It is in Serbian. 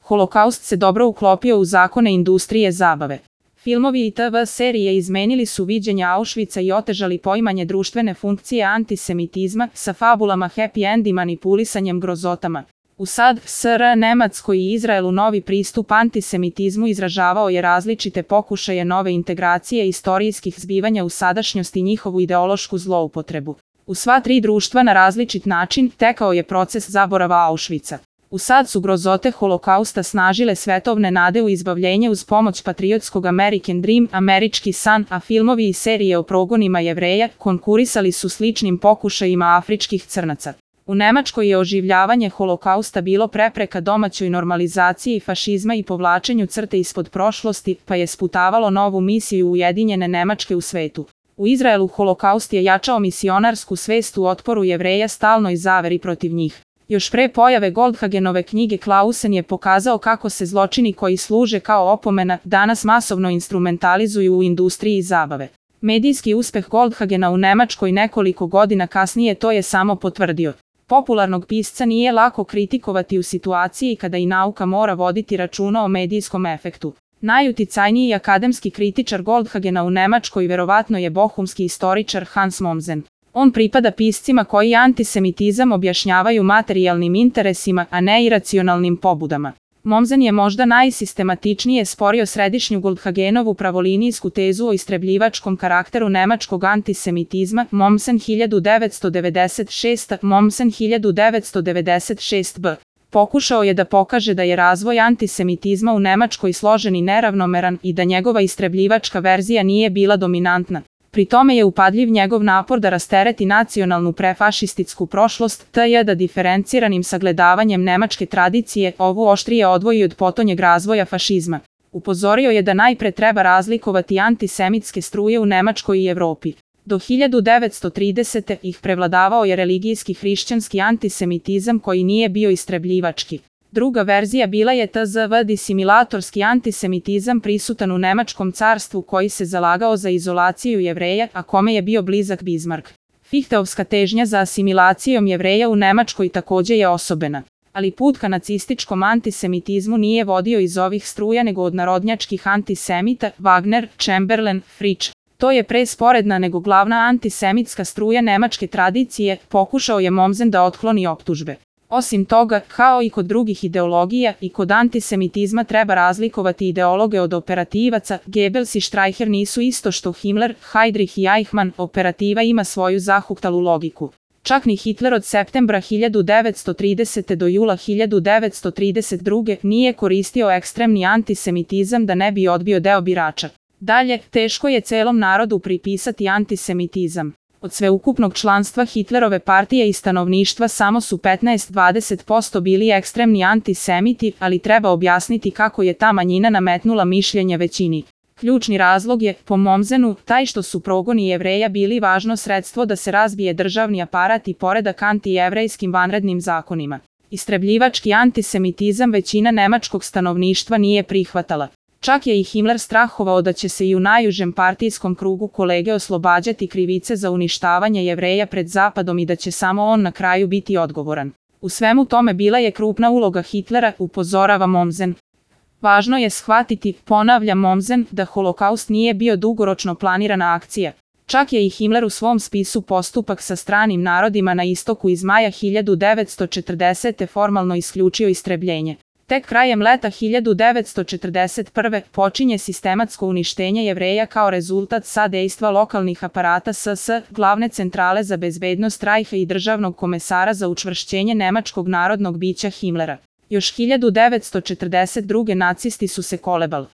Holokaust se dobro uklopio u zakone industrije zabave. Filmovi i TV serije izmenili su viđenja Auschwitza i otežali poimanje društvene funkcije antisemitizma sa fabulama happy end i manipulisanjem grozotama. U SAD, SR, Nemačkoj i Izraelu novi pristup antisemitizmu izražavao je različite pokušaje nove integracije istorijskih zbivanja u sadašnjost i njihovu ideološku zloupotrebu. U sva tri društva na različit način tekao je proces zaborava Auschwitza. U SAD su grozote Holokausta snažile svetovne nade u izbavljenje uz pomoć patriotskog American Dream, američki san, a filmovi i serije o progonima Jevreja konkurisali su sličnim pokušajima afričkih crnaca. U Nemačkoj je oživljavanje Holokausta bilo prepreka domaćoj normalizaciji fašizma i povlačenju crte ispod prošlosti, pa je sputavalo novu misiju Ujedinjene Nemačke u svetu. U Izraelu Holokaust je jačao misionarsku svest u otporu Jevreja stalnoj zaveri protiv njih. Još pre pojave Goldhagenove knjige Clausen je pokazao kako se zločini koji služe kao opomena danas masovno instrumentalizuju u industriji zabave. Medijski uspeh Goldhagena u Nemačkoj nekoliko godina kasnije to je samo potvrdio. Popularnog pisca nije lako kritikovati u situaciji kada i nauka mora voditi računa o medijskom efektu. Najuticajniji akademski kritičar Goldhagena u Nemačkoj verovatno je bohumski istoričar Hans Mommsen. On pripada piscima koji antisemitizam objašnjavaju materijalnim interesima, a ne iracionalnim pobudama. Mommsen je možda najsistematičnije sporio središnju Goldhagenovu pravolinijsku tezu o istrebljivačkom karakteru nemačkog antisemitizma, Mommsen 1996, Mommsen 1996b. Pokušao je da pokaže da je razvoj antisemitizma u Nemačkoj složen i neravnomeran i da njegova istrebljivačka verzija nije bila dominantna. Pri tome je upadljiv njegov napor da rastereti nacionalnu prefašističku prošlost, t.j. da diferenciranim sagledavanjem nemačke tradicije ovu oštrije odvoji od potonjeg razvoja fašizma. Upozorio je da najpre treba razlikovati antisemitske struje u Nemačkoj i Evropi. Do 1930. ih prevladavao je religijski hrišćanski antisemitizam koji nije bio istrebljivački. Druga verzija bila je tzv. Disimilatorski antisemitizam prisutan u Nemačkom carstvu koji se zalagao za izolaciju Jevreja, a kome je bio blizak Bismarck. Fihteovska težnja za asimilacijom Jevreja u Nemačkoj takođe je osobena. Ali put ka nacističkom antisemitizmu nije vodio iz ovih struja nego od narodnjačkih antisemita, Wagner, Chamberlain, Fritsch. To je pre sporedna nego glavna antisemitska struja nemačke tradicije, pokušao je Mommsen da otkloni optužbe. Osim toga, kao i kod drugih ideologija, i kod antisemitizma treba razlikovati ideologe od operativaca. Goebbels i Streicher nisu isto što Himmler, Heydrich i Eichmann, operativa ima svoju zahuktalu logiku. Čak ni Hitler od septembra 1930. do jula 1932. nije koristio ekstremni antisemitizam da ne bi odbio deo birača. Dalje, teško je celom narodu pripisati antisemitizam. Od sveukupnog članstva Hitlerove partije i stanovništva samo su 15–20% bili ekstremni antisemiti, ali treba objasniti kako je ta manjina nametnula mišljenje većini. Ključni razlog je, po Mommsenu, taj što su progoni Jevreja bili važno sredstvo da se razbije državni aparat i poredak antijevrejskim vanrednim zakonima. Istrebljivački antisemitizam većina nemačkog stanovništva nije prihvatala. Čak je i Himmler strahovao da će se i u najužem partijskom krugu kolege oslobađati krivice za uništavanje Jevreja pred Zapadom i da će samo on na kraju biti odgovoran. U svemu tome bila je krupna uloga Hitlera, upozorava Mommsen. Važno je shvatiti, ponavlja Mommsen, da Holokaust nije bio dugoročno planirana akcija. Čak je i Himmler u svom spisu Postupak sa stranim narodima na istoku iz maja 1940. formalno isključio istrebljenje. Tek krajem leta 1941. počinje sistematsko uništenje Jevreja kao rezultat sadejstva lokalnih aparata SS, glavne centrale za bezbednost Reicha i državnog komesara za učvršćenje nemačkog narodnog bića Himmlera. Još 1942. nacisti su se kolebali.